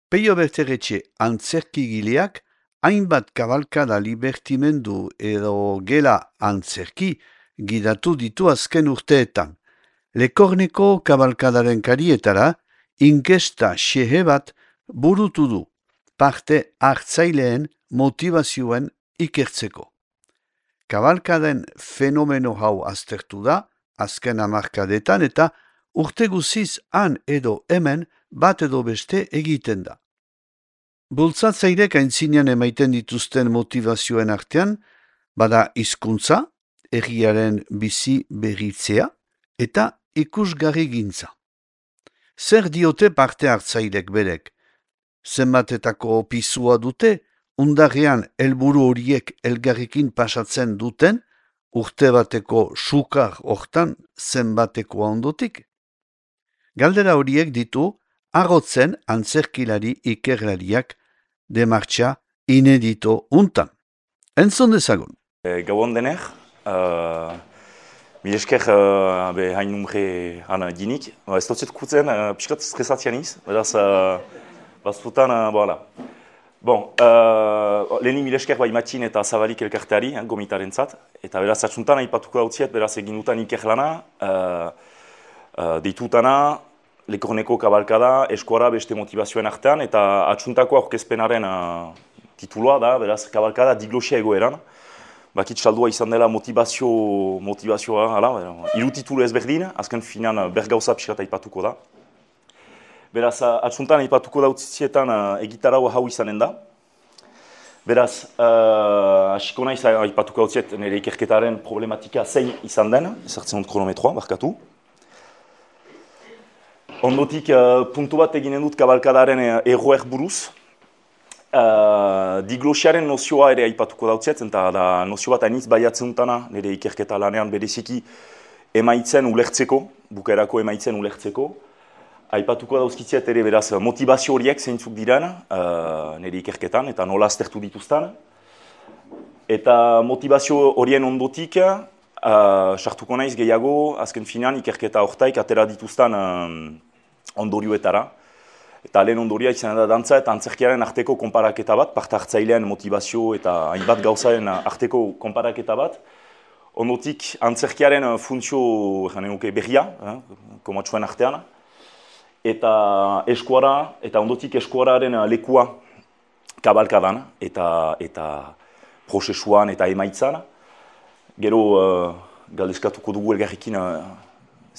Peio Berteretxe antzerkigileak hainbat kabalkada libertimendu edo gela antzerki gidatu ditu azken urteetan. Lekorneko kabalkadaren karietara inkesta xehe bat burutu du, parte hartzaileen motivazioen ikertzeko. Kabalkaden fenomeno hau aztertu da, azken hamarkadetan eta urte guziz han edo hemen bat edo beste egiten da. Bultzatzailek aintzinean emaiten dituzten motivazioen artean, bada hizkuntza, herriaren bizi berritzea eta ikusgarri gintza. Zer diote parte hartzailek berek? Zenbatetako pisua dute, undarrean helburu horiek elgarrikin pasatzen duten, urte bateko sukar hortan zenbatekoa ondotik? Galdera horiek ditu, agotzen antzerkilari ikerlariak demartxa inedito untan. Entzun dezagun. Gabon dener, mil esker hain numre han dinik. Ez dutzet kutzen, piskat stresatian iz, beraz, baztutan, voilà. Bon, lehenik mil esker bai matxin eta zabalik elkarteari, gomitaren zat, eta beraz atxuntan aipatuko dautziet, beraz egin dutan ikerlana, deitutana, Lekorneko kabalkada, eskuara beste motivazioen artean, eta atxuntako aurkezpenaren tituloa da, beraz, kabalkada diglosia egoeran. Bakit saldua izan dela motivazioa, hiru titulu ezberdin, azken finan bergauza pixkat aipatuko da. Beraz, atxuntan aipatuko dautzietan egitarau hau izanen da. Beraz, hasiko naiz aipatuko dautziet nire ikerketaren problematika zein izan den, ezartzen dut kronometroa, barkatu. Ondotik, puntu bat eginen dut kabalkadaren erroer buruz. Diglosiaren nozioa ere aipatuko dautziet, eta da nozio bat hainitz baiatzen dutana, nire ikerketa lanean bereziki emaitzen ulertzeko, bukaerako emaitzen ulertzeko. Aipatuko dauzkitziet ere beraz motivazio horiek zeintzuk diren nire ikerketan, eta nola aztertu dituzten. Eta motivazio horien ondotik, sartuko naiz gehiago, azken finean ikerketa hortaik atera dituzten ondorioetara. Eta lehen ondoria izan da dantza eta antzerkiaren arteko konparaketa bat, parte hartzailean motivazio eta hainbat gauzaren arteko konparaketa bat. Ondotik antzerkiaren funtzio berria, komatsuen artean. Eta eskuara, eta ondotik eskuararen lekua kabalkadan eta prozesuan eta emaitzan. Gero galdezkatuko dugu elgarrekin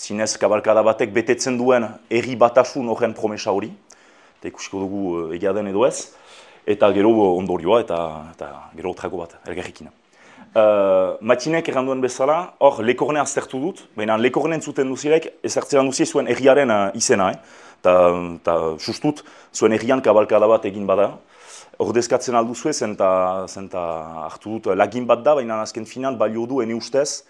zinez kabalkada batek betetzen duen herri batasun horren promesa hori. Eta ikusiko dugu egia den edo ez. Eta gero ondorioa eta gero otrako bat elgarrekin. Matxinek erranduen bezala, hor Lekorne aztertu dut, baina Lekorne entzuten duzirek ezartzean duzie zuen herriaren izena. Eta sustut zuen herrian kabalkada bat egin bada. Ordezkatzen alduzue zenta hartu dut lagin bat da, baina azken finan balio du ene ustez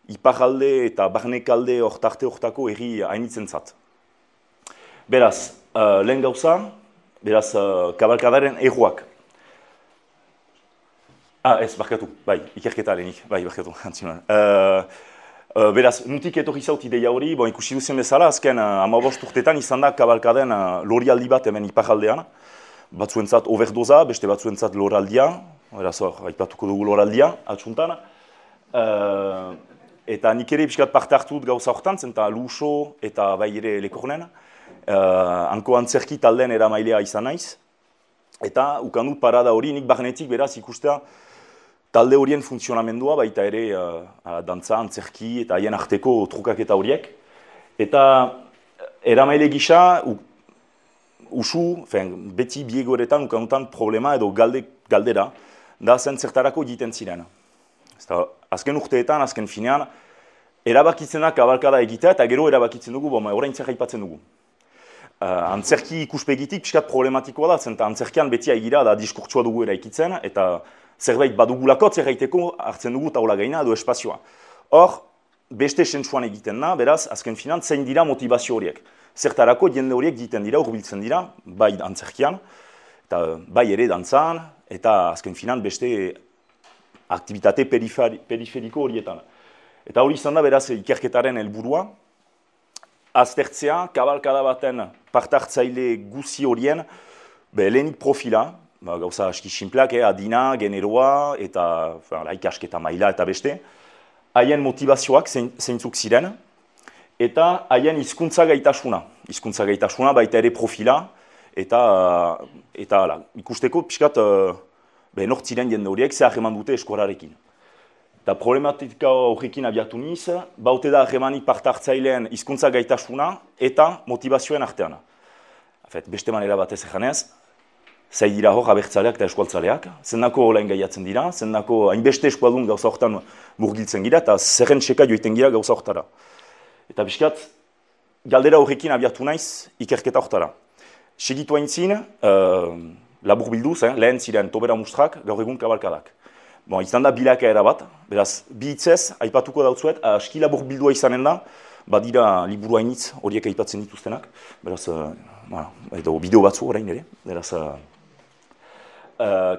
iparalde eta barnekalde hortarte hortako herri hainitzen zat. Beraz, lehen gauza, beraz kabalkadaren erroak. Ez, barkatu, bai, ikerketa lehenik, bai, barkatu, antzinuan. Beraz, nutik etorri zaut ideia hori, ikusi duzen bezala, azken 15 urtetan izan da kabalkaden lorialdi bat hemen iparaldean. Batzuentzat overdoza, beste batzuentzat loraldia, beraz, aipatuko dugu loraldia, atxuntan. Eta nik ere pixkat parte hartu dut gauza hortan, zenta Luso eta bai ere Lekornen. Hanko antzerki taldean eramailea izan naiz. Eta ukandut parada hori, nik barnetik beraz ikustea talde horien funtzionamendua, baita ere dantza, antzerki eta haien arteko trukaketa horiek. Eta eramaile gisa, usu, beti biegoretan ukandutan problema edo galdera, da zen zertarako egiten ziren. Azken urteetan, azken finean, erabakitzen da kabalkada egitea eta gero erabakitzen dugu, orain zer aipatzen dugu. Antzerki ikuspegitik pixkat problematikoa da, zenta antzerkian beti egira da diskurtsua dugu eraikitzen, eta zerbait badugulako zerraiteko hartzen dugu taula gaina edo espazioa. Hor, beste sentsuan egiten da, beraz, azken finean, zein dira motivazio horiek. Zertarako jende horiek egiten dira, hurbiltzen dira, bai antzerkian, eta bai ere dantzan, eta azken finean beste aktibitate periferiko horietan. Eta hori izan da, beraz, ikerketaren helburua, aztertzea, kabalkada baten parte hartzaile guzi horien Lehenik profila, gauza aski sinpleak, adina, generoa, eta ikasketa maila eta beste, haien motivazioak zeintzuk ziren, eta haien hizkuntza gaitasuna. Hizkuntza gaitasuna baita ere profila, eta ikusteko pixkat nortziren jende horiek ze harreman dute eskorarekin. Eta problematika horrekin abiatu niz, baute da harremanik parte hartzaileen hizkuntza gaitasuna eta motivazioen artean. Beste manera batez eganez, zai dira hor abertzaleak eta eskualtzaleak, zendako olain gaiatzen dira, zendako hainbeste eskualdun gauza horretan murgiltzen gira, eta zerren txeka joiten gira gauza horretara. Eta biskat, galdera horrekin abiatu naiz ikerketa horretara. Segitu haintzin, labur bilduz, lehen ziren tobera mustrak, gaur egun kabalkadak. Izan da bilakaera bat, beraz, bi hitzez, aipatuko dautzuet, aski labur bildua izanen da, badira liburu hainitz horiek aipatzen dituztenak, beraz, edo bideo batzu orain ere, beraz,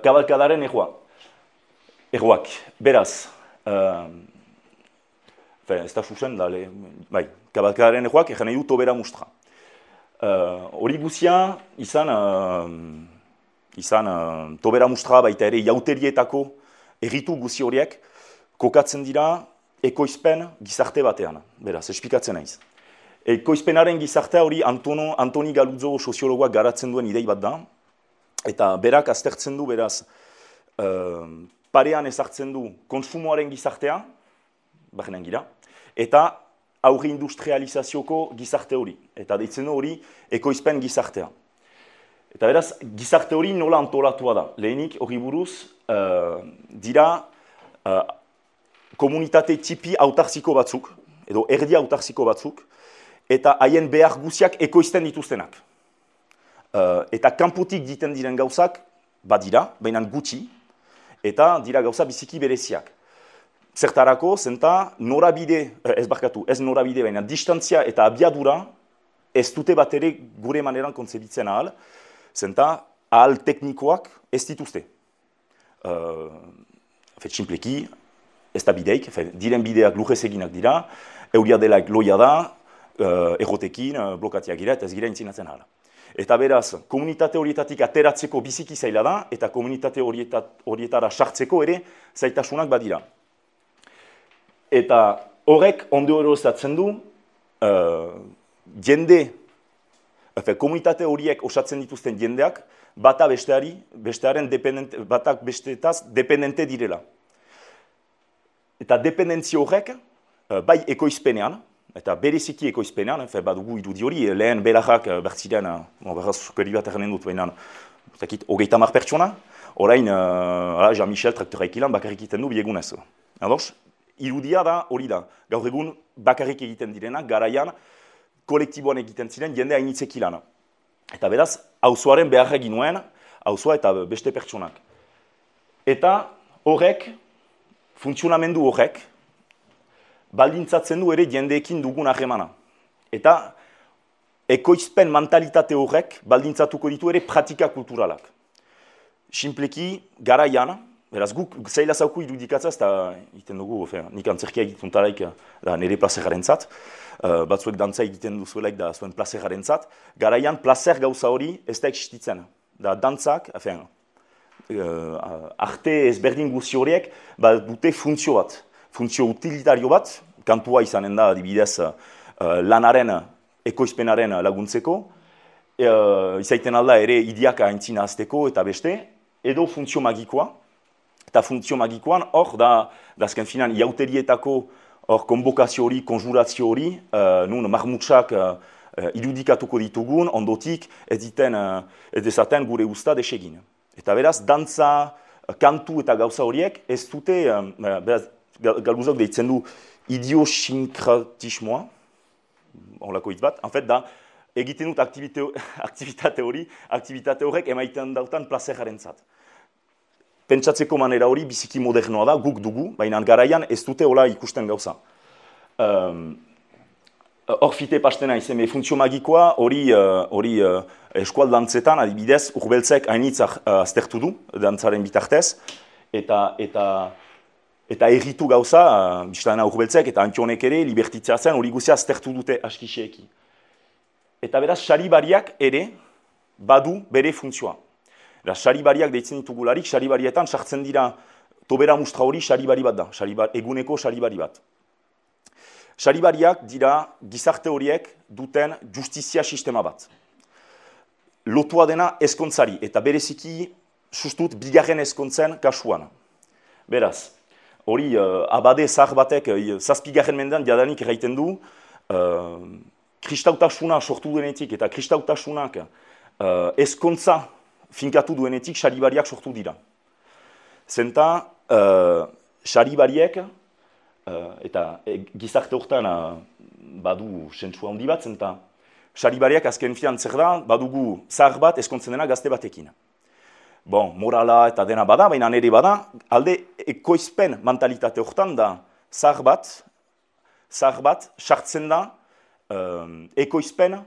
kabalkadaren erroak, beraz, ez da susen, kabalkadaren erroak, egin nahi du tobera mustra. Hori guzia, izan tobera mustra baita ere jauterietako erritu guzi horiek kokatzen dira ekoizpen gizarte batean, beraz, espikatzen naiz. Ekoizpenaren gizartea hori Antoni Galuzzo soziologoak garatzen duen idei bat da, eta berak aztertzen du, beraz, parean ezartzen du konsumoaren gizartea, bajenan gira, eta aurre industrializazioko gizarte hori, eta deitzen du hori ekoizpen gizartea. Eta beraz, gizarte hori nola antolatua da. Lehenik hori buruz dira komunitate tipi autartziko batzuk, edo erdi autartziko batzuk, eta haien behar guziak ekoizten dituztenak. Eta kanpotik diten diren gauzak, badira, baina gutxi, eta dira gauza biziki bereziak. Zertarako, zenta ez norabide, baina distantzia eta abiadura ez dute bat ere gure maneran kontzebitzen ahal, zenta ahal teknikoak ez dituzte. Txinpleki, ez da bideik, diren bideak lujez eginak dira, euria delaik loia da, errotekin, blokatiak gira, eta ez gira intzinatzen ahal. Eta beraz, komunitate horietatik ateratzeko biziki zaila da, eta komunitate horietara sartzeko ere zaitasunak badira. Eta horrek ondo erozatzen du, komunitate horiek osatzen dituzten jendeak, batak bestetaz dependente direla. Eta dependentzia horrek, bai ekoizpenean, eta bereziki ekoizpenean, badugu irudi hori, lehen belajak bertziren, berraz sukeri bat erren dut, baina, hogeita mar pertsona, orain, Jean-Michel traktoreik ilan bakarrik egiten du biegunez. Ados, irudia da hori da, gaur egun bakarrik egiten direnak, garaian, kolektiboan egiten ziren, jende hainitzek ilan. Eta beraz, auzoaren behar egin nuen, auzoa eta beste pertsonak. Eta horrek, funtzionamendu horrek, baldintzatzen du ere jendeekin dugun harremana. Eta ekoizpen mentalitate horrek baldintzatuko ditu ere pratika kulturalak. Simpleki, garaian, beraz guk zaila zauku irudikatzaz, eta egiten dugu, nik antzerkia egiten talaik nire plazeraren zat, batzuek dantza egiten duzuelaik da zuen plazeraren zat, garaian plazer gauza hori ez da existitzen. Da dantzak, arte ezberdin guzi horiek, dute funtzio bat. Funtzio utilitario bat, kantua izanen da adibidez lanaren, ekoizpenaren laguntzeko, izaiten alda ere idiaka aintzina azteko eta beste, edo funtzio magikoa. Eta funtzio magikoan hor da azken finan iauterietako konbokazio hori, konjurazio hori, nun marmutsak irudikatuko ditugun, ondotik ez dezaten gure usta desegin. Eta beraz, dantza, kantu eta gauza horiek ez dute, Galuzok deitzen du idiosinkratismoa, horlako hitz bat, da, egiten dut aktivitate horrek emaiten dautan plazeraren zat. Pentsatzeko manera hori biziki modernoa da, guk dugu, baina garaian ez dute hola ikusten gauza. Hor fite pastena izan, funtzio magikoa hori eskualdantzetan, adibidez, urbeltzek hainitzak aztertu du, dantzaren bitartez, eta erritu gauza, biztana urbeltzek eta antionek ere, libertitzatzen hori guzia aztertu dute askiseeki. Eta beraz, saribariak ere, badu bere funtzioa. Saribariak deitzen ditugularik, saribarietan sartzen dira tobera mustra hori saribari bat da, eguneko saribari bat. Saribariak dira gizarte horiek duten justizia sistema bat. Lotua dena ezkontzari, eta bereziki sustut bigarren ezkontzen kasuan. Beraz, hori abade zahar batek zazpigarren mendean jadanik erraiten du, kristautasuna sortu duenetik eta kristautasunak ezkontza finkatu duenetik saribariak sortu dira. Zenta, saribariek, eta gizarte horretan badu sentsua handi bat, zenta saribariak azken fian zer da, badugu zahar bat ezkontzen dena gazte batekin. Bon, morala eta dena bada, baina nire bada, alde ekoizpen mentalitate horretan da zahar bat sartzen da ekoizpen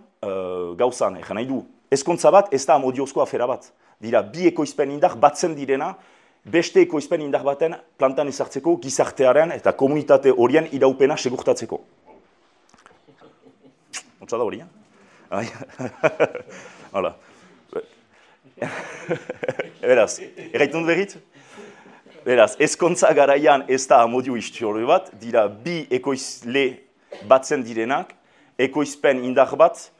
gauzan. Egan nahi du, ezkontza bat ez da amodiozko afera bat. Dira, bi ekoizpen indar batzen direna, beste ekoizpen indar baten plantan ezartzeko gizartearen eta komunitate horien iraupena segurtatzeko. Otsa da hori, Hala. Beraz, erraitun berrit? Beraz, ezkontza garaian ez da amodio istiore bat, dira bi ekoizle batzen direnak, ekoizpen indar bat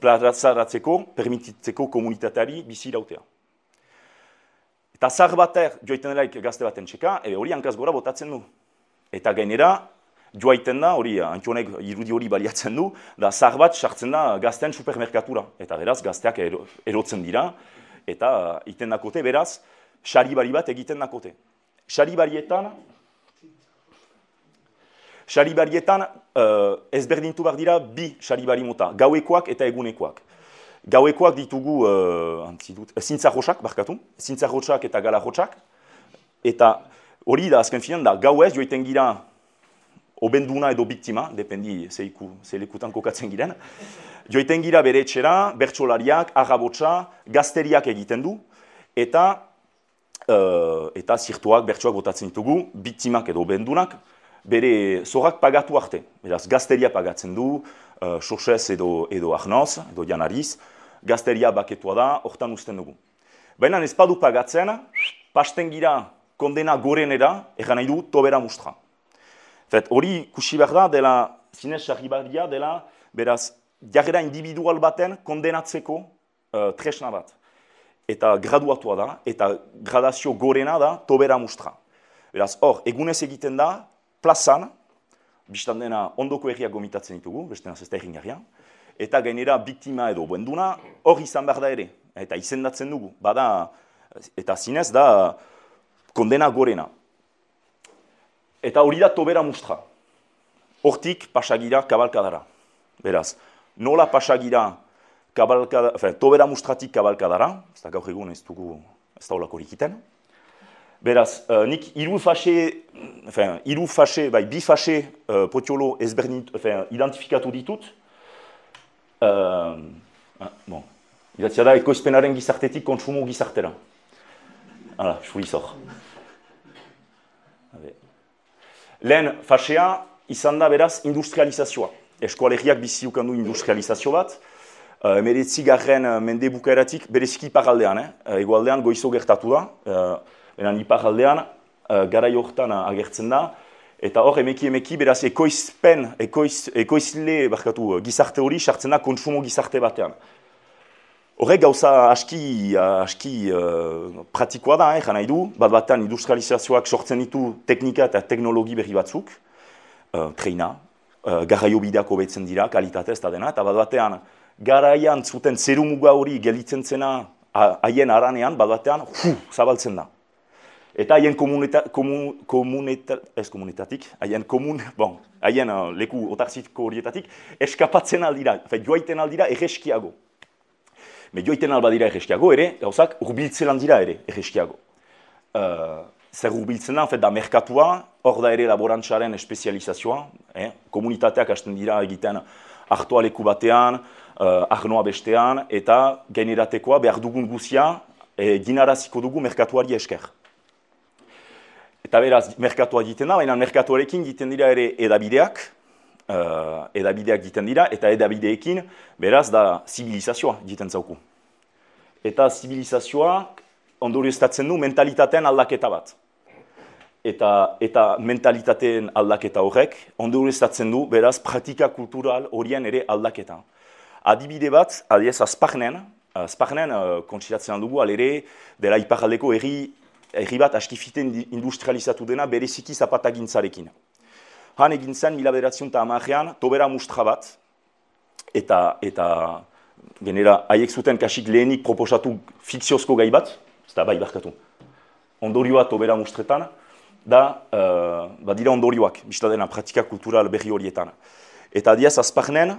plazaratzeko, permititzeko komunitateari bizi irautea. Eta zahar bater joaiten delaik gazte baten txeka, hori hankaz gora botatzen du. Eta gainera, joaiten da, hori Antionek irudi hori baliatzen du, da zahar bat sartzen da gazten supermerkatura. Eta beraz, gazteak erotzen dira, eta iten dakote, beraz, saribari bat egiten dakote. Saribarietan ezberdintu behar dira bi saribari mota, gauekoak eta egunekoak. Gauekoak ditugu zintzarrotxak, zintzarrotxak eta galarrotxak. Eta hori da, azken finan da, gauez joiten gira obenduna edo biktima, dependi zelekutan kokatzen giren. Joiten gira bere etxera, bertsolariak, arrabotsa, gazteriak egiten du, eta zirtuak, bertsoak botatzen ditugu, biktimak edo obendunak, bere zorrak pagatu arte. Beraz, gazteria pagatzen du, Xoxez edo Arnoz, edo Janariz, gazteria baketua da, hortan uzten dugu. Baina ez badu pagatzen, pasten gira kondena gorenera, egan nahi du, tobera mustra. Hori kusi behar da, dela, zinez sarribaria dela, beraz, jarrera individual baten kondenatzeko tresna bat. Eta graduatua da, eta gradazio gorena da, tobera mustra. Beraz, hor, egunez egiten da, plazan, biztan dena ondoko erriak gomitatzen ditugu, beste ez da erringarria, eta gainera biktima edo buenduna hor izan behar da ere, eta izendatzen dugu, bada, eta zinez da kondena gorena. Eta hori da tobera mustra. Hortik pasagira kabalkadara. Beraz, nola pasagira tobera mustratik kabalkadara, ez da gaur egun ez dugu ez da holakorik iten. Beraz, nik bi fase potiolo ezberdin identifikatu ditut. Idatzia da, ekoizpenaren gizartetik kontsumo gizartera. Hala, suizor. Lehen fasea izan da beraz industrializazioa. Eskoalegiak bizi ukandu industrializazio bat. Emeretzigarren mende bukaeratik bereziki iparraldean, egoaldean goizo gertatu da. Iparraldean garai horretan agertzen da. Eta hor emeki beraz ekoizle gizarte hori sartzen da kontsumo gizarte batean. Horrek gauza aski pratikoa da, jan nahi du, bat-batean industrializazioak sortzen ditu teknika eta teknologi berri batzuk, treina, garraio bideak hobetzen dira, kalitatez eta dena, eta bat-batean garaian zuten zerumuga hori gelitzen zena haien aranean, bat-batean zabaltzen da. Eta haien haien leku otarziko horietatik eskapatzen aldira, joaiten aldira erreskiago. Joaiten albadira erreskiago ere, gauzak urbiltzen aldira ere erreskiago. Zer urbiltzen da merkatua, hor da ere laborantzaren espezializazioa, komunitateak hasten dira egiten artoa leku batean, arnoa bestean, eta gaineratekoa behar dugun guzia ginaraziko dugu merkatuari esker. Eta beraz, merkatua egiten da, baina merkatuarekin egiten dira ere edabideak, edabideak egiten dira, eta edabideekin, beraz, da zibilizazioa egiten zauku. Eta zibilizazioa ondorioztatzen du mentalitatean aldaketa bat. Eta mentalitateen aldaketa horrek ondorioztatzen du, beraz, praktika kultural horien ere aldaketa. Adibide bat, adiez, Azparnen kontsiratzen dugu, alere, dela iparraldeko herri bat askifiten industrializatu dena bereziki zapatagintzarekin. Han egin zen, 1910ean, tobera mustra bat, eta genera, haiek zuten kasik lehenik proposatu fikziozko gai bat, ez da bai barkatu, ondorioa tobera mustretan, da dira ondorioak, bizta dena praktika kultural berri horietan. Eta diaz, Azparnen,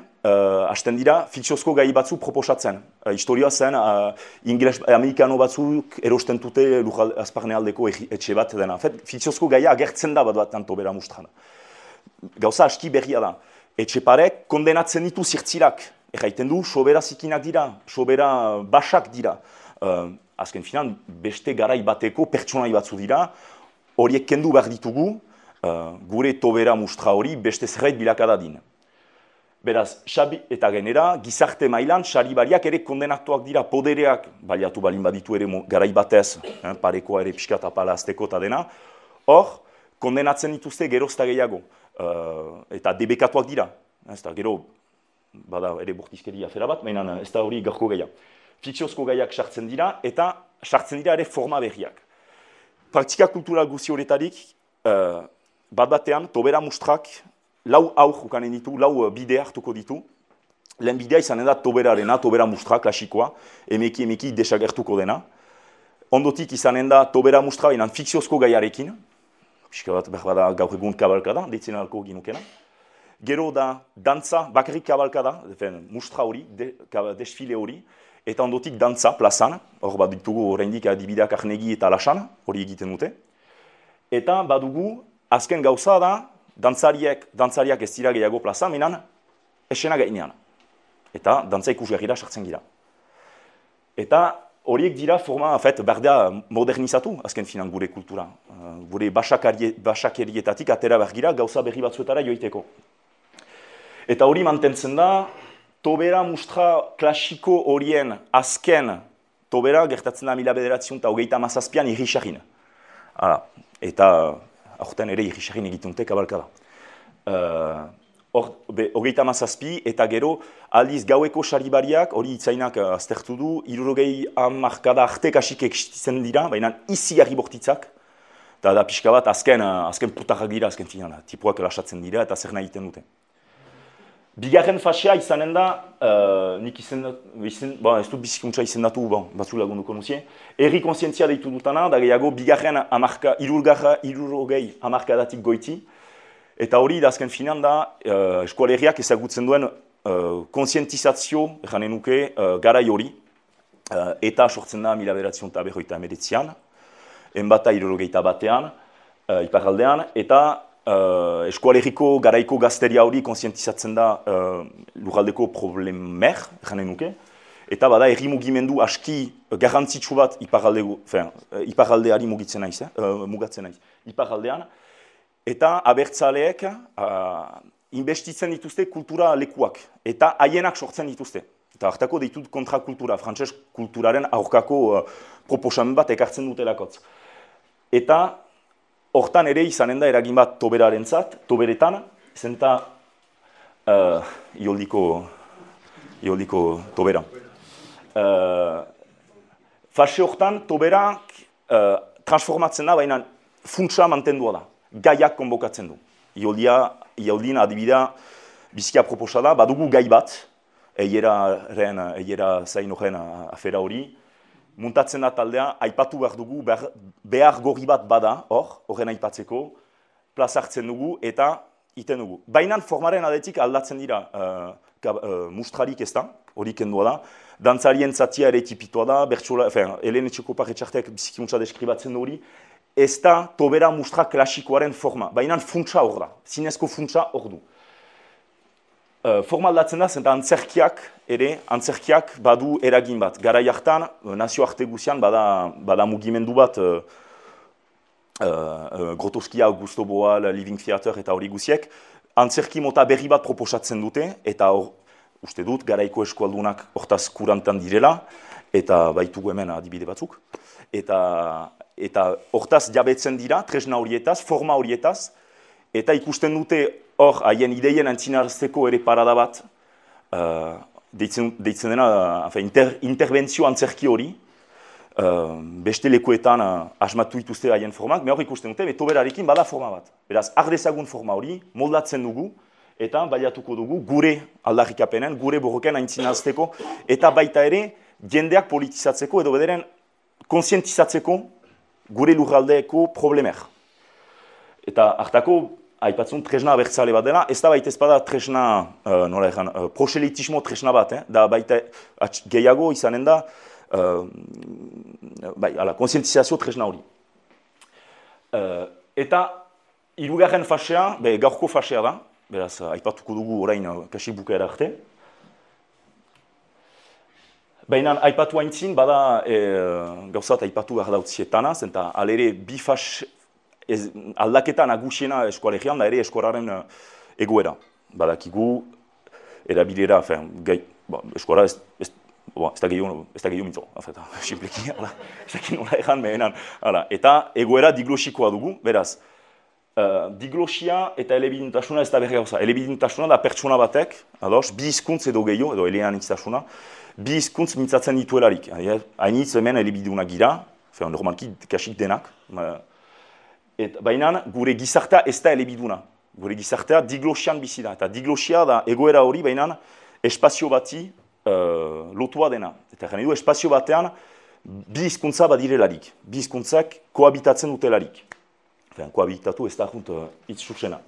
hasten dira, fikziozko gai batzu proposatzen. Historia zen, amerikano batzuk erosten dute Azparne aldeko etxe bat dena. Fikziozko gaia agertzen da bat tobera mustran. Gauza aski berria da. Etxeparek kondenatzen ditu zirtzirak. Erraiten du, sobera zikinak dira, sobera basak dira. Azken finan, beste garai bateko pertsonai batzu dira, horiek kendu behar ditugu, gure tobera mustra hori beste zerbait bilakada din. Beraz, eta genera, gizarte mailan, saribariak ere kondenatuak dira, podereak, baliatu balin baditu ere garai batez, parekoa ere pixkat apala azteko eta dena, hor, kondenatzen dituzte gerozta gehiago, eta debekatuak dira, ez da, gero, bada ere bortizkeria afera bat, mainan ez da hori garko gaia. Fikziozko gaiak sartzen dira, eta sartzen dira ere forma berriak. Praktika kultural guzi horretarik, bat-batean, tobera mustrak, lau aur ukanen ditu, lau bide hartuko ditu. Lehen bidea izanen da toberarena, tobera mustra, klasikoa, emeki desagertuko dena. Ondotik izanen da tobera mustra, inan fikziozko gaiarekin. Pixka bat, behar bada gaur egun kabalkada, deitzen alko ginukena. Gero da dantza, bakarrik kabalkada, mustra hori, desfile hori. Eta ondotik dantza, plazan, hor bat ditugu oraindik adibideak Arnegi eta Lasan, hori egiten dute. Eta badugu, azken gauza da, dantzariak ez dira gehiago plaza, minan esena gainean. Eta dantza ikusgarrira sartzen gira. Eta horiek dira forma, berdea modernizatu, azken finan gure kultura. Gure basakerietatik atera bergira gauza berri batzuetara joiteko. Eta hori mantentzen da, tobera mustra klasiko horien azken tobera gertatzen da 1937an irrisarin. Eta aurten ere irrisarin egitunte kabalkada. Hogeita mazazpi eta gero aldiz gaueko saribariak hori itzainak aztertu du, 60 arte kasik existitzen dira, baina izigarri bortitzak. Eta da pixka bat azken putarrak dira, azken finan, tipuak lasatzen dira eta zer nahi egiten dute. Bigarren fasea izanen da, nik ez dut bizikuntza izendatu, batzu lagunduko nuzie, herri konsientzia deitu dutana, da gehiago bigarren irurogei hamarkadatik goiti, eta hori da azken finan da, eskualerriak ezagutzen duen konsientizazio, janen nuke, garai hori, eta sortzen da 1949an, enbata irurogeita batean, iparraldean, eta eskualerriko garaiko gazteria hori konsientizatzen da lurraldeko problemer, janen nuke, eta bada herri mugimendu aski garrantzitsu bat iparraldeari mugatzen naiz, iparraldean, eta abertzaleek investitzen dituzte kultura lekuak, eta haienak sortzen dituzte. Eta hartako ditut kontrakultura, frantses kulturaren aurkako proposamen bat ekartzen dutelakotz. Eta hortan ere izanen da eragin bat toberarentzat, toberetan, zenta ioldiko tobera. Fase hortan toberak transformatzen da, baina funtsa mantendua da, gaiak konbokatzen du. Ioldin adibidea bizkia proposa da, badugu gai bat, eiera zain horren afera hori, muntatzen da taldea, aipatu behar dugu, behar gorri bat bada, horren aipatzeko, plaza hartzen dugu eta iten dugu. Baina formaren adetik aldatzen dira mustrarik ez da, hori kendua da, dantzarien zatia ere tipitua da, Helen Etxekopar etxarteak bizikuntza deskribatzen hori, ez da tobera mustra klasikoaren forma, baina funtsa hor da, zinezko funtsa hor du. Forma aldatzen da, zenta antzerkiak badu eragin bat. Garai hartan, nazioarte guzian bada mugimendu bat, Grotowski, Augusto Boal, Living Theater eta hori guziek, antzerki mota berri bat proposatzen dute, eta uste dut, garaiko eskualdunak hortaz kurantan direla, eta baitugu hemen adibide batzuk. Eta hortaz jabetzen dira, tresna horietaz, forma horietaz, eta ikusten dute hor haien ideien antzinarazteko ere parada bat, deitzen dena interbentzio antzerki hori, beste lekuetan asmatu dituzte haien formak, hor ikusten dute, betoberarekin bada forma bat. Beraz, ardezagun forma hori, moldatzen dugu, eta baliatuko dugu gure aldarrikapenen, gure borroken antzinarazteko, eta baita ere, jendeak politizatzeko edo bederen konsientizatzeko gure lurraldeeko problemer. Eta hartako, aipatzen tresna abertzale bat dela, ez da baita ez bada tresna, proselitismo tresna bat, da baita gehiago izanen da, konsientizazio tresna hori. Eta hirugarren fasea, gaurko fasea da, beraz, aipatuko dugu orain kasik bukaera arte. Baina aipatu haintzin, bada gauzat aipatu behar dautzietana, zenta alere bi fas aldaketa nagusiena eskoalegian da ere eskoraren egoera. Badakigu, erabilera, eskoara ez da gehiago mitzo, simpleki, ez dakit nola egan mehenan. Eta egoera diglosikoa dugu, beraz, diglosia eta elebiduntasuna ez da berri gauza. Elebiduntasuna da pertsona batek, bi hizkuntz edo gehiago, edo eleanittasuna, bi hizkuntz mintzatzen dituelarik. Hainitz hemen elebidunak gira, normalki kasik denak, baina gure gizartea ez da elebiduna. Gure gizartea diglosian bizi da. Eta diglosia da egoera hori, baina espazio bati lotua dena. Eta gane du, espazio batean bi hizkuntza badirelarik. Bi hizkuntzak kohabitatzen dutelarik. Kohabitatu ez da hitz zuzena.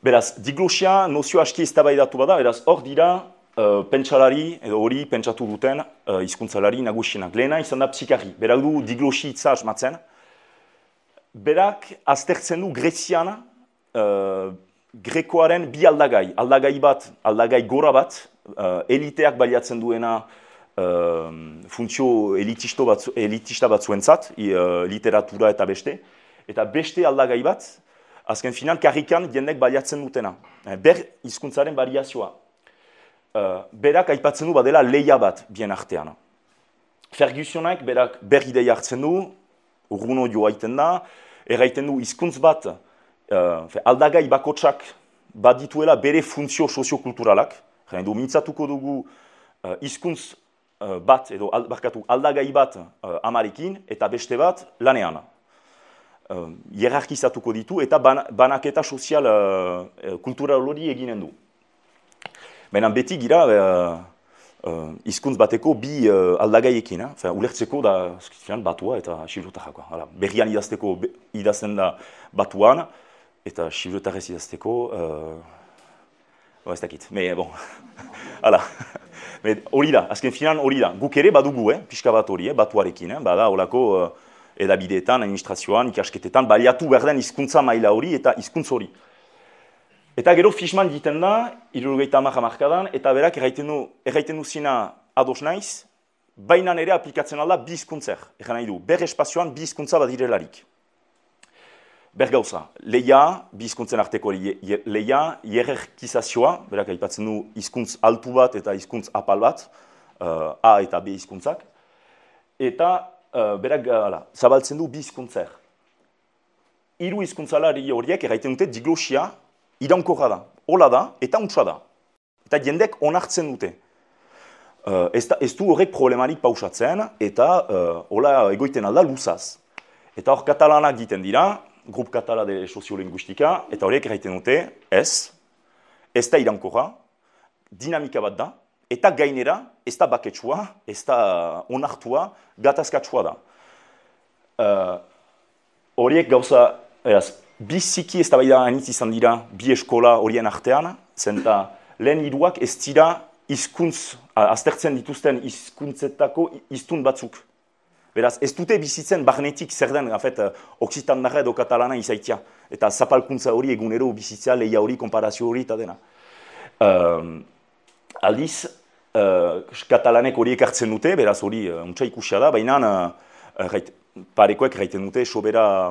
Beraz, diglosia nozio aski eztabaidatu bada, beraz, hor dira pentsalari, edo hori pentsatu duten hizkuntzalari nagusienak. Lehena izan da psikari, berak du diglosi hitza asmatzen. Berak aztertzen du Grezian grekoaren bi aldagai. Aldagai bat, aldagai gora bat, eliteak baliatzen duena funtzio elitista batzuentzat, literatura eta beste. Eta beste aldagai bat, azken final, karrikan jendek baliatzen dutena. Ber hizkuntzaren variazioa. Berak aipatzen du badela leia bat bien artean. Fergussonak berak ber ideia hartzen du, urguno joa iten da, erraiten du hizkuntz bat, aldagai bakotsak badituela bere funtzio soziokulturalak, mintzatuko dugu hizkuntz bat, edo aldagai bat amarekin, eta beste bat lanean. Hierarkizatuko ditu eta banaketa sozial kultural hori eginen du. Baina beti gira hizkuntz bateko bi aldagaiekin, ulertzeko da batua eta xibrotarrakoa. Berrian idazten da batuan eta xibrotarrez idazteko, ez dakit, hori da, azken finan hori da. Guk ere badugu, pixka bat hori, batuarekin, bada holako edabideetan, administrazioan, ikasketetan, baliatu behar den hizkuntza maila hori eta hizkuntz hori. Eta gero Fishman egiten da, 70 hamarkadan, eta berak erraiten du zina ados naiz, baina ere aplikatzen alda bi hizkuntzer. Egan nahi du, ber espazioan bi hizkuntza badirelarik. Ber gauza, leia, bi hizkuntzen arteko leia, hierarkizazioa, berak aipatzen du hizkuntz altu bat eta hizkuntz apal bat, A eta B hizkuntzak, eta berak zabaltzen du bi hizkuntzer. Hiru hizkuntzalari horiek erraiten dute diglosia iraunkorra da, hola da eta untsa da. Eta jendek onartzen dute. Ez du horrek problemarik pausatzen eta hola egoiten alda luzaz. Eta hor katalanak egiten dira, Grup Katala de Soziolinguistika, eta horiek erraiten dute, ez da iraunkorra, dinamika bat da, eta gainera, ez da baketsua, ez da onartua, gatazkatsua da. Horiek gauza, biziki ez da bai da anitz izan dira bi eskola horien artean, zenta lehen hiruak ez dira aztertzen dituzten hizkuntzetako hiztun batzuk. Beraz, ez dute bizitzen barnetik zer den, oksitandarra edo katalana izaitia. Eta zapalkuntza hori egunero bizitzea, leia hori, konparazio hori eta dena. Aldiz, katalanek horiek hartzen dute, beraz hori untsa ikusia da, baina parekoek erraiten dute sobera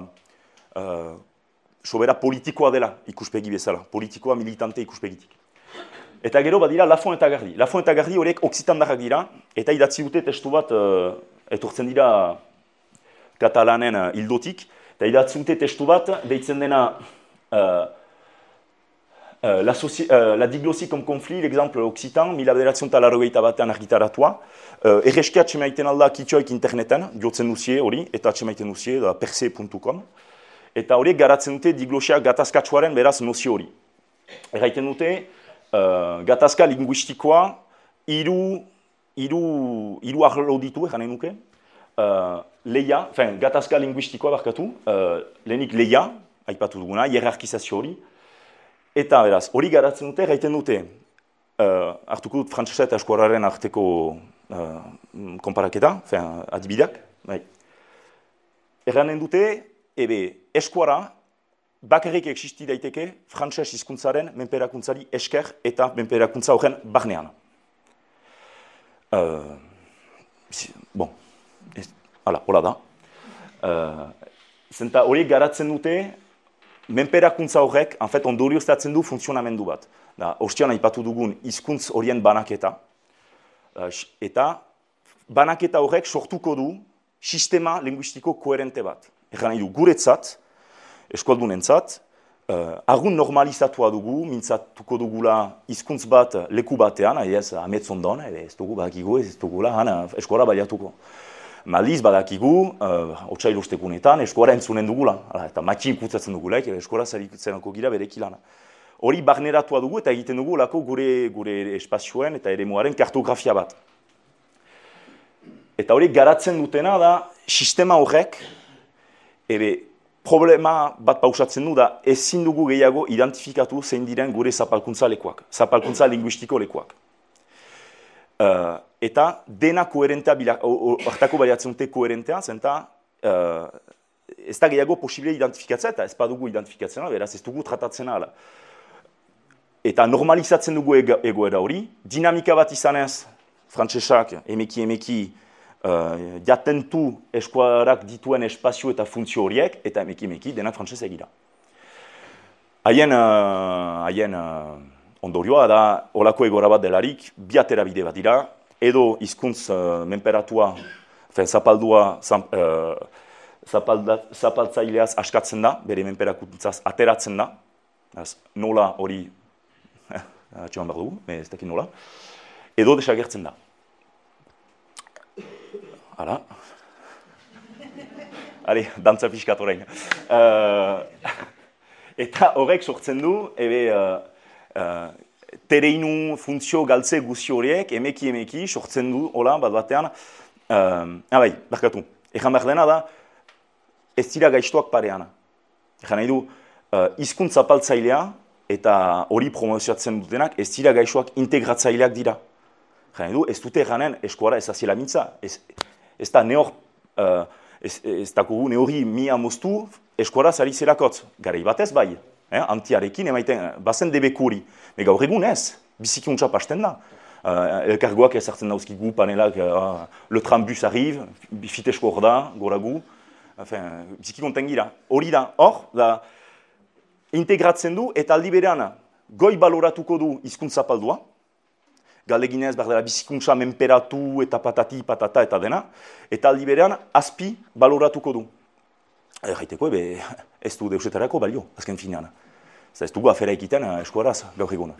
sobera politikoa dela ikuspegi bezala, politikoa militante ikuspegitik. Eta gero badira Lafont eta Gardi. Lafont eta Gardi horiek oksitandarrak dira, eta idatzi dute testu bat etortzen dira katalanen hildotik, eta idatzi dute testu bat deitzen dena la diglossie comme conflit, l'exemple occitan, 1981 argitaratua. Erreski atxemaiten alda kitxoik interneten, jotzen duzie hori, eta atxemaiten duzie, da perse.com. Eta horiek garatzen dute diglosia gatazkatsuaren beraz nozio hori. Erraiten dute, gatazka linguistikoa hiru arlo ditu, eranen nuke. Leia, gatazka linguistikoa barkatu, lehenik leia, aipatu duguna, hierarkizazio hori. Eta beraz, hori garatzen dute, erraiten dute, hartuko dut frantsesa eta eskuarraren arteko konparaketa, adibideak. Erranen dute, eskuara bakarrik existi daiteke frantses hizkuntzaren menperakuntzari esker eta menperakuntza horren barnean. Hola da. Zenta hori garatzen dute, menperakuntza horrek, ondorioztatzen du funtzionamendu bat. Ostian aipatu dugun hizkuntz horien banaketa, eta banaketa horrek sortuko du sistema linguistiko koherente bat. Egan nahi du, guretzat, eskualdunentzat, argun normalizatua dugu, mintzatuko dugula hizkuntz bat leku batean, ametzondon, ez dugu badakigu, ez dugula, eskuara baliatuko. Maldiz badakigu, otsailostekunetan, eskuara entzunen dugula, eta matxin kutsatzen dugulaik, eskuara zaritzenako gira berekilana. Hori barneratua dugu eta egiten dugu lako gure espazioen eta eremuaren kartografia bat. Eta hori garatzen dutena da, sistema horrek, problema bat pausatzen du da, ezin dugu gehiago identifikatu zein diren gure zapalkuntza lekuak, zapalkuntza linguistiko lekuak. Eta dena koherentea, hartako baliatzen dute koherentea, zenta ez da gehiago posible identifikatzea, eta ez badugu identifikatzena, beraz ez dugu tratatzena ala. Eta normalizatzen dugu egoera hori, dinamika bat izanez, frantsesak emeki jatentu eskuarak dituen espazio eta funtzio horiek, eta emeki denak frantsez egira. Haien ondorioa da, olako egoera bat delarik, bi aterabide bat dira, edo hizkuntz menperatua, zapaldua, zapaltzaileaz askatzen da, bere menperakuntzaz ateratzen da, nola hori, atxeman behar dugu, ez dakit nola, edo desagertzen da. Hala. Hale, dantza pixkat orain. Eta horrek sortzen du, tereinu funtzio galtze guzti horiek, emeki sortzen du, hola, bat batean, barkatu, egan behar dena da, ez dira gaiztoak pareana. Egan nahi du, hizkuntz zapaltzailea eta hori promozioatzen dutenak, ez dira gaixoak integratzaileak dira. Egan nahi du, ez dute eganen eskuara ez aziela mintza, ez da neori mia moztu eskuara zari zerakotz. Garai batez bai, antiarekin emaiten, bazen debekuri. Gaur egun ez, bizikuntza pasten da. Elkargoak ezartzen dauzkigu panelak, le trambus arrive, fitesko hor da, goragu. Bizikikonten gira. Hori da, hor, integratzen du eta aldi berean goi baloratuko du hizkuntza zapaldua. Galdeginez, behar dela bizikuntza menperatu eta patati, patata eta dena, eta aldi berean azpi baloratuko du. Gaiteko, ez du deusetarako balio, azken finean. Ez dugu afera ekiten eskuaraz gaur eguna.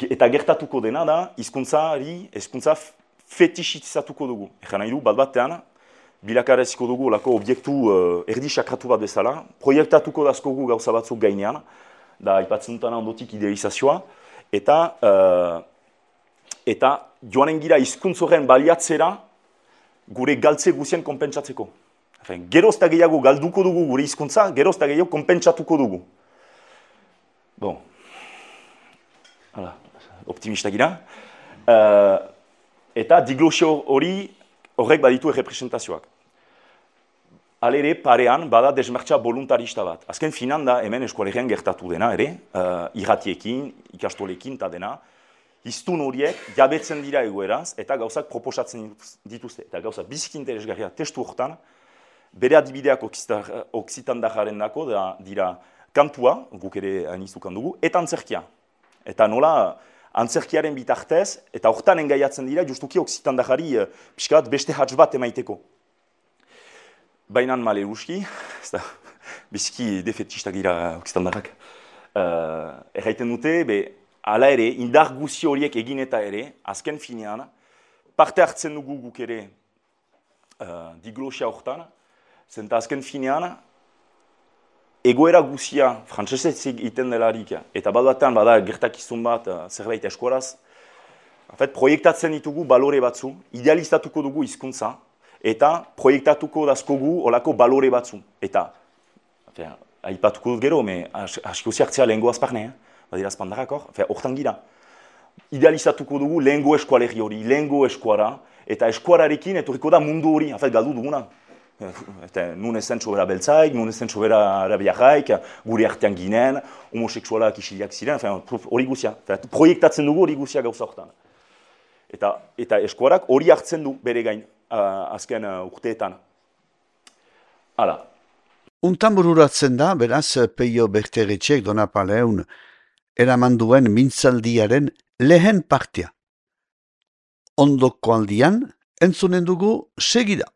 Eta gertatuko dena da, hizkuntza fetixizatuko dugu. Egan nahi du, bat batean, bilakareziko dugu lako obiektu erdi sakratu bat bezala, proiektatuko dazkogu gauza batzuk gainean, da aipatzen dutana ondotik idealizazioa, eta joanen gira hizkuntz horren baliatzera gure galtze guzien konpentsatzeko. Geroz eta gehiago galduko dugu gure hizkuntza, geroz eta gehiago konpentsatuko dugu. Bon. Hala, optimista gira. Eta diglosio horrek baditu errepresentazioak. Alere, parean, bada desmartxa voluntarista bat. Azken finan da, hemen eskualegian gertatu dena, irratiekin, ikastolekin eta dena, hiztun horiek jabetzen dira egoeraz eta gauzak proposatzen dituzte. Eta gauzak biziki interesgarria testu horretan, bere adibideak oksitandajaren dako dira kantua, guk ere anizukan dugu, eta antzerkia. Eta nola, antzerkiaren bitartez, eta hortan engaiatzen dira, justuki oksitandajari pixka bat beste hatz bat emaiteko. Bainan male uski, biziki defetistak dira oksitandarrak. Erraiten dute, hala ere, indar guzi horiek egin eta ere, azken finean, parte hartzen dugu guk ere diglosia hortan, zenta azken finean, egoera guzia, frantsesez egiten delarik, eta batean bada gertakizun bat zerbait eskuaraz, proiektatzen ditugu balore batzu, idealizatuko dugu hizkuntza, eta proiektatuko dazkogu olako balore batzu. Eta, aipatuko dut gero, aski huzi hartzea lehengo azparne, badira azpandarrak hor, hortan gira. Idealizatuko dugu lehengo eskualerri hori, lehengo eskuara, eta eskuararekin etorriko da mundu hori, galdu duguna. Nun ezen txobera beltzaik, nun ezen txobera arabiarraik, gure artean ginen, homoseksualak isiliak ziren, hori guzia. Proiektatzen dugu hori guzia gauza hortan. Eta eskuarak hori hartzen du bere gain, azken urteetan. Hala. Untan bururatzen da, beraz, Peio Berteretxek Donapaleun eraman duen mintzaldiaren lehen partia. Ondoko aldian, entzunen dugu segida.